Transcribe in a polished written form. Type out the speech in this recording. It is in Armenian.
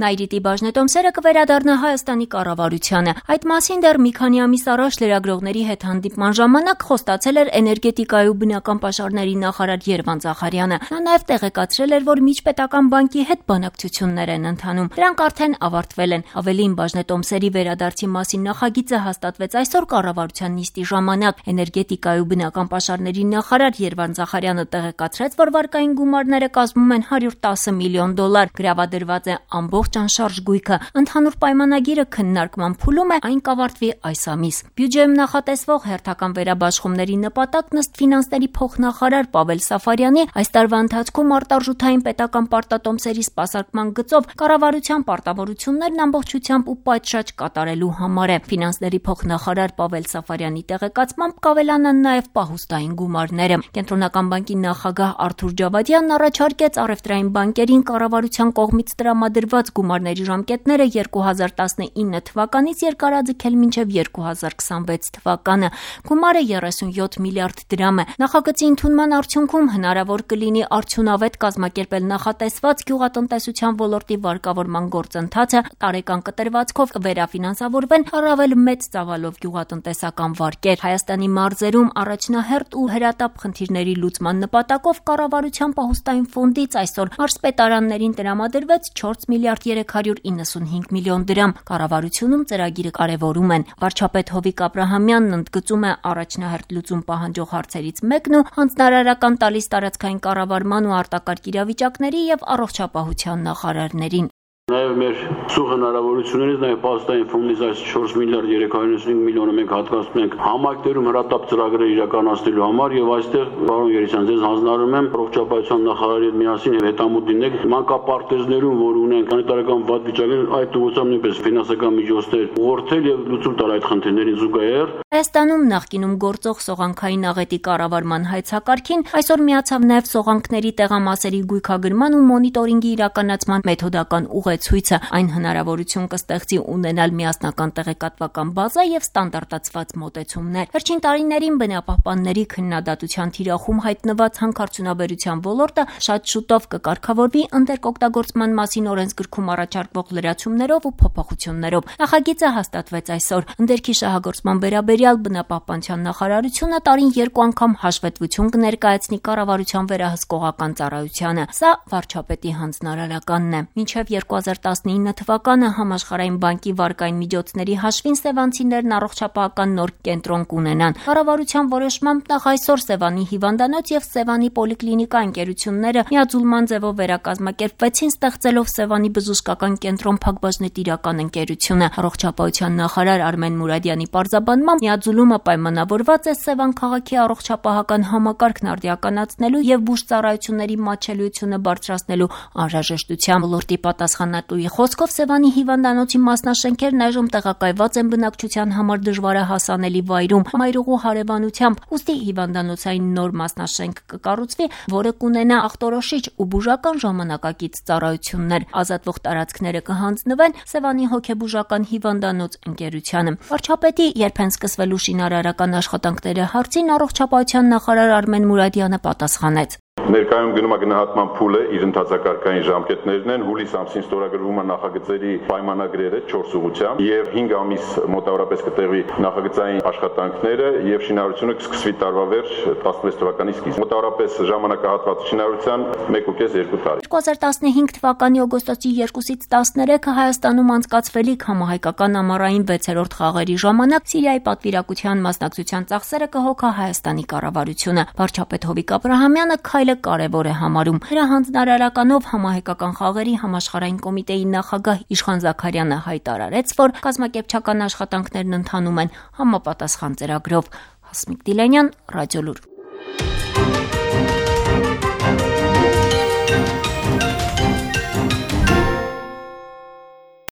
Նայրիտի բաժնետոմսերը կվերադառնա Հայաստանի կառավարությանը։ Այդ մասին դեռ մի քանի ամիս առաջ լրագրողների հետ հանդիպման ժամանակ խոստացել էր էներգետիկայի ու բնական պաշարների նախարար Երվանդ Զախարյանը։ Նա նաև տեղեկացրել էր, որ միջպետական բանկի հետ բանակցություններ են ընթանում։ Դրանք արդեն ավարտվել են։ Ավելին, բաժնետոմսերի վերադարձի մասին նախագիծը հաստատվեց այսօր կառավարության նիստի ժամանակ։ Էներգետիկայի ու բնական պաշարների նախարար Երվանդ Զախարյանը տեղեկացրեց, որ վարկային գումարները կազմում են $110 միլիոն։ Գրավադրված է ամբողջ անշարժ գույքը։ Ընդհանուր պայմանագիրը քննարկման փուլում է, այն կավարտվի այս ամիս։ Բյուջեում նախատեսվող հերթական վերաբաշխումների նպատակն ըստ ֆինանսների փոխնախարար Պավել Սաֆարյանի այս տարվա ընթացքում արտարժութային պետական պարտատոմսերի սպասարկման գծով կառավարության պարտավորություններն ամբողջությամբ ու պատշաճ կատարելու համար է։ Ֆինանսների փոխնախարար Պավել Սաֆարյանի տեղեկացմամբ կավելանան նաև պահուստային գումարները։ Կենտրոնական բանկի նախագահ Արթուր Ջավադյանն առաջարկեց առևտրային բանկերին կառավարության կողմից տրամադրված գումարների ժամկետները 2019 թվականից երկարաձգել մինչև 2026 թվականը։ Գումարը 37 միլիարդ դրամ է։ Նախագծի ընդունման արդյունքում հնարավոր կլինի արդյունավետ կազմակերպել նախատեսված գյուղատնտեսության ոլորտի վարկավորման գործընթացը, տարեկան կտրվածքով վերաֆինանսավորվեն առավել մեծ ծավալով գյուղատնտեսական վարկեր։ Հայաստանի մարզերում առաջնահերթ ու հրատապ խնդիրների լուծման նպատակով կառավարության պահուստային ֆոնդից այսօր մարզպետարաններին տրամադրվեց 4 միլիարդ 395 միլիոն դրամ։ Կառավարությունում ծրագիրը կարևորում են։ Վարչապետ Հովիկ Աբրահամյանն ընդգծում է առաջնահերթ լուծում պահանջող հարցերից մեկն ու հանձնարարական տալիս տարածքային կառավարման ու արտակարգ իրավիճակների եւ առողջապահության նախարարներին։ Նաև մեր սուղ հնարավորություններից նաև պահուստային ֆոնդից այս 4 միլիարդ 395 միլիոնը մենք հատկացնում ենք համայնքներում հրատապ ծրագրեր իրականացնելու համար եւ այստեղ պարոն Երեսյան ձեզ հանձնարարում եմ առողջապահության նախարարի հետ միասին եւ հետամուտ դինենք մանկապարտեզներում, որ ունենք սանիտարական վատ վիճակներ, այդ ուղղությամբ նույնպես ֆինանսական միջոցներ ուղղորդել եւ լուծում տալ այդ խնդիրներին զուգահեռ։ Հայաստանում նախկինում գործող սողանքային աղետի կառավարման հայցակարգին այսօր միացավ նաև սողանքների տեղամասերի գույքագրման ու մոնիտորինգի իրականացման մեթոդական ուղեցույցը։ Այն հնարավորություն կստեղծի ունենալ միասնական տեղեկատվական բազա եւ ստանդարտացված մոտեցումներ։ Վերջին տարիներին բնապահպանների քննադատության թիրախում հայտնված հանքարդյունաբերության ոլորտը շատ շուտով կկարգավորվի ընտերկօգտագործման մասին օրենսգրքում առաջարկվող լրացումներով ու փոփոխություններով։ Նախագիծը հաստատվեց այսօր։ Ընդերքի շահագործման վերաբերյալ բնապահպանության նախարարությունը տարին 2 անգամ հաշվետվություն կներկայացնի կառավարության վերահսկողական ծառայությանը։ Սա վարչապետի հանձնարարականն է։ Մինչև 2019 թվականը Համաշխարհային բանկի վարկային միջոցների հաշվին սևանցիներն առողջապահական նոր կենտրոն կունենան։ Կառավարության որոշմամբ նախ այսօր Սևանի հիվանդանոց եւ Սևանի պոլիկլինիկա ընկերությունները միաձուլման ձևով վերակազմակերպվեցին, ստեղծելով Սևանի բժշկական կենտրոն փակbaşնետիրական ընկերությունը։ Առողջապահության նախարար Արմեն Մուրադյանի պարզաբանմամբ միաձուլումը պայմանավորված է Սևան քաղաքի առողջապահական համակարգն արդիականացնելու եւ բուժծառայությունների մատչելիությունը բարձրացնելու անհրաժեշտությամբ։ Ոլորտի պատասխանատուի խոսքով Սևանի հիվանդանոցի մասնաշենքերն այժմ տեղակայված են բնակչության համար դժվարահասանելի վայրում մայրուղու հարևանությամբ, ուստի հիվանդանոցային նոր մասնաշենք կկառուցվի, որը կունենա ախտորոշիչ ու բուժական ժամանակակից ծառայություններ։ Ազատվող տարածքները կհանձնվեն Սևանի հոգեբուժական հիվանդանոց ընկերությանը։ Վարչապետի երբ են սկսվելու շինարարական աշխատանքները հարցին առողջապահության նախարար Արմեն Մուրադյանը պատասխանեց. Ներկայում գնում է գնահատման փուլը, իր ընթացակարգային ժամկետներն են, հուլիս ամսին ստորագրվում է նախագծերի պայմանագրերը 4 ուղղությամբ եւ 5 ամիս մոտավորապես կտեղվի նախագծային աշխատանքները եւ շինարարությունը կսկսվի տարվա վերջ 16 թվականի սկիզբ։ Մոտավորապես ժամանակահատված շինարարության 1.5-2 տարի։ 2015 թվականի օգոստոսի 2-ից 13-ը Հայաստանում անցկացվելիք համահայկական ամառային 6-րդ խաղերի ժամանակ Սիրիայի պատվիրակության մասնակցության ծախսերը կհոգա Հայաստանի կառավարությունը։ Վարչապետ Հովիկ Աբրահամյանը քայլը կարևոր է համարում։ Նրա հանձնարարականով համահայկական խաղերի համաշխարհային կոմիտեի նախագահ Իշխան Զաքարյանը հայտարարեց, որ կազմակերպչական աշխատանքներն ընթանում են համապատասխան ծրագրով։ Հասմիկ Դիլանյան, Ռադիոլուր։